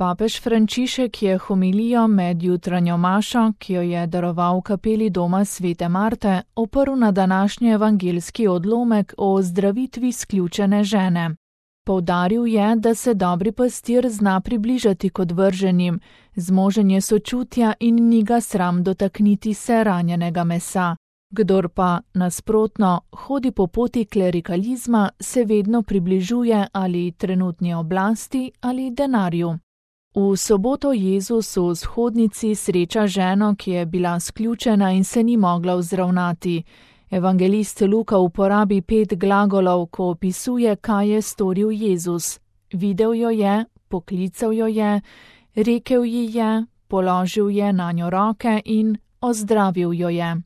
Papež Frančišek je homilijo med jutranjo mašo, ki jo je daroval v kapeli doma svete Marte, oprl na današnji evangeljski odlomek o ozdravitvi izključene žene. Poudaril je, da se dobri pastir zna približati k odvrženim, zmožen je sočutja in ni ga sram dotakniti se ranjenega mesa. Kdor pa, nasprotno, hodi po poti klerikalizma, se vedno približuje ali trenutni oblasti ali denarju. V soboto Jezus v shodnici sreča ženo, ki je bila sključena in se ni mogla vzravnati. Evangelist Luka uporabi 5 glagolov, ko opisuje, kaj je storil Jezus. Videl jo je, poklical jo je, rekel ji je, položil je nanjo roke in ozdravil jo je.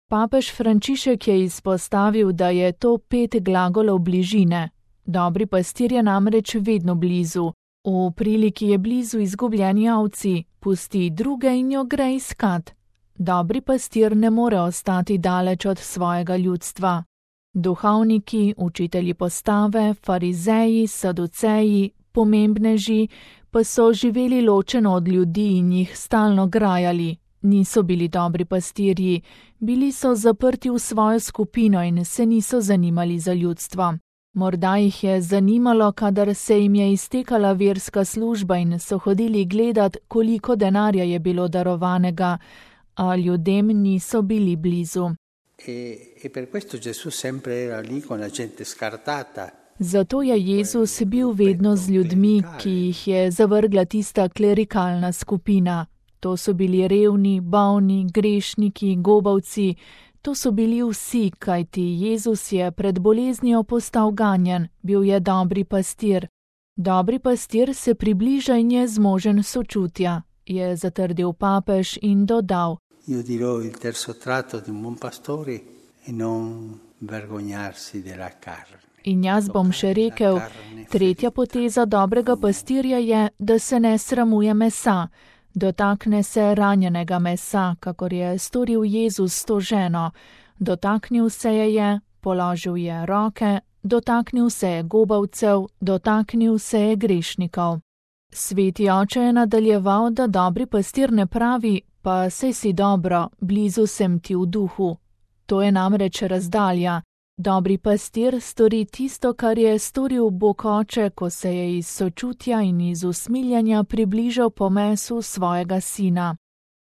Papež Frančišek je izpostavil, da je to 5 glagolov bližine. Dobri pastir je namreč vedno blizu. V priliki je blizu izgubljeni ovci, pusti druge in jo gre iskat. Dobri pastir ne more ostati daleč od svojega ljudstva. Duhovniki, učitelji postave, farizeji, saduceji, pomembneži pa so živeli ločeno od ljudi in jih stalno grajali. Niso bili dobri pastirji, bili so zaprti v svojo skupino in se niso zanimali za ljudstvo. Morda jih je zanimalo, kadar se jim je iztekala verska služba in so hodili gledat, koliko denarja je bilo darovanega, a ljudem niso bili blizu. Zato je Jezus bil vedno z ljudmi, ki jih je zavrgla tista klerikalna skupina. To so bili revni, bolni, grešniki, gobavci. To so bili vsi, kajti Jezus je pred boleznijo postal ganjen, bil je dobri pastir. Dobri pastir se približa in je zmožen sočutja, je zatrdil papež in dodal. Io dirò il terzo tratto di un buon pastore e non vergognarsi della carne. In jaz bom še rekel, tretja poteza dobrega pastirja je, da se ne sramuje mesa. Dotakne se ranjenega mesa, kakor je storil Jezus s to ženo. Dotaknil se je, položil je roke, dotaknil se je gobavcev, dotaknil se je grešnikov. Sveti oče je nadaljeval, da dobri pastir ne pravi, pa sej si dobro, blizu sem ti v duhu. To je namreč razdalja. Dobri pastir stori tisto, kar je storil Bog oče, ko se je iz sočutja in iz usmiljanja približal po mesu svojega sina.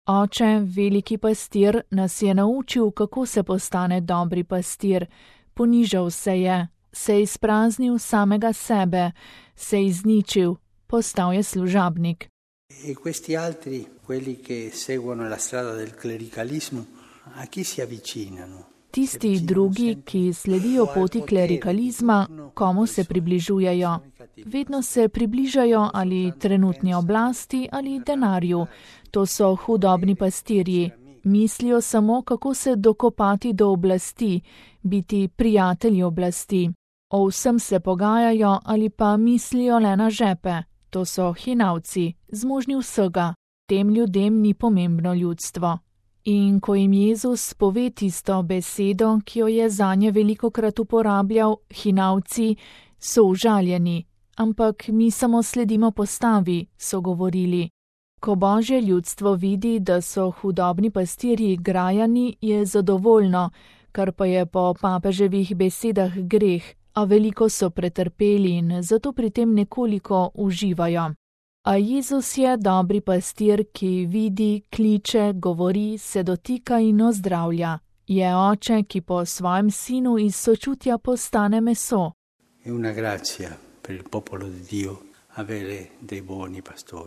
Oče, veliki pastir, nas je naučil, kako se postane dobri pastir. Ponižal se izpraznil samega sebe, se izničil, postal je služabnik. E questi altri, quelli che seguono la strada del clericalismo, a chi si avvicinano? Tisti drugi, ki sledijo poti klerikalizma, komu se približujejo? Vedno se približajo ali trenutni oblasti ali denarju. To so hudobni pastirji. Mislijo samo, kako se dokopati do oblasti, biti prijatelji oblasti. O vsem se pogajajo ali pa mislijo le na žepe. To so hinavci, zmožni vsega. Tem ljudem ni pomembno ljudstvo. In ko jim Jezus pove tisto besedo, ki jo je zanje velikokrat uporabljal, hinavci, so užaljeni, ampak mi samo sledimo postavi, so govorili. Ko Božje ljudstvo vidi, da so hudobni pastirji grajani, je zadovoljno, kar pa je po papeževih besedah greh, a veliko so pretrpeli in zato pri tem nekoliko uživajo. A Jezus je dobri pastir, ki vidi, kliče, govori, se dotika in ozdravlja. Je oče, ki po svojem sinu iz sočutja postane meso.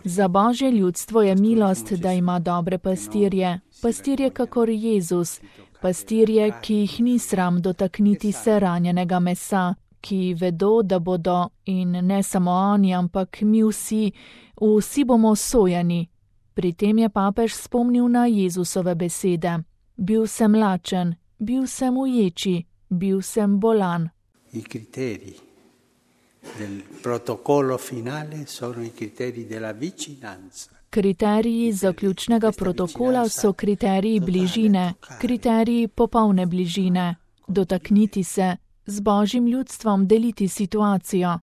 Za Božje ljudstvo je milost, da ima dobre pastirje. Pastirje kakor Jezus. Pastirje, ki jih ni sram dotakniti se ranjenega mesa, ki vedo, da bodo, in ne samo oni, ampak mi vsi bomo sojeni. Pri tem je papež spomnil na Jezusove besede. Bil sem lačen, bil sem v ječi, bil sem bolan. I criteri del protocollo finale sono i criteri della vicinanza. Kriteriji zaključnega protokola so kriteriji bližine, kriteriji popolne bližine. Dotakniti se, z Božjim ljudstvom deliti situacijo.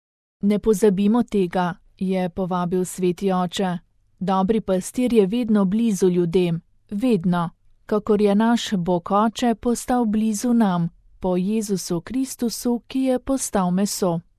Ne pozabimo tega, je povabil sveti oče. Dobri pastir je vedno blizu ljudem, vedno, kakor je naš Bog Oče postal blizu nam, po Jezusu Kristusu, ki je postal meso.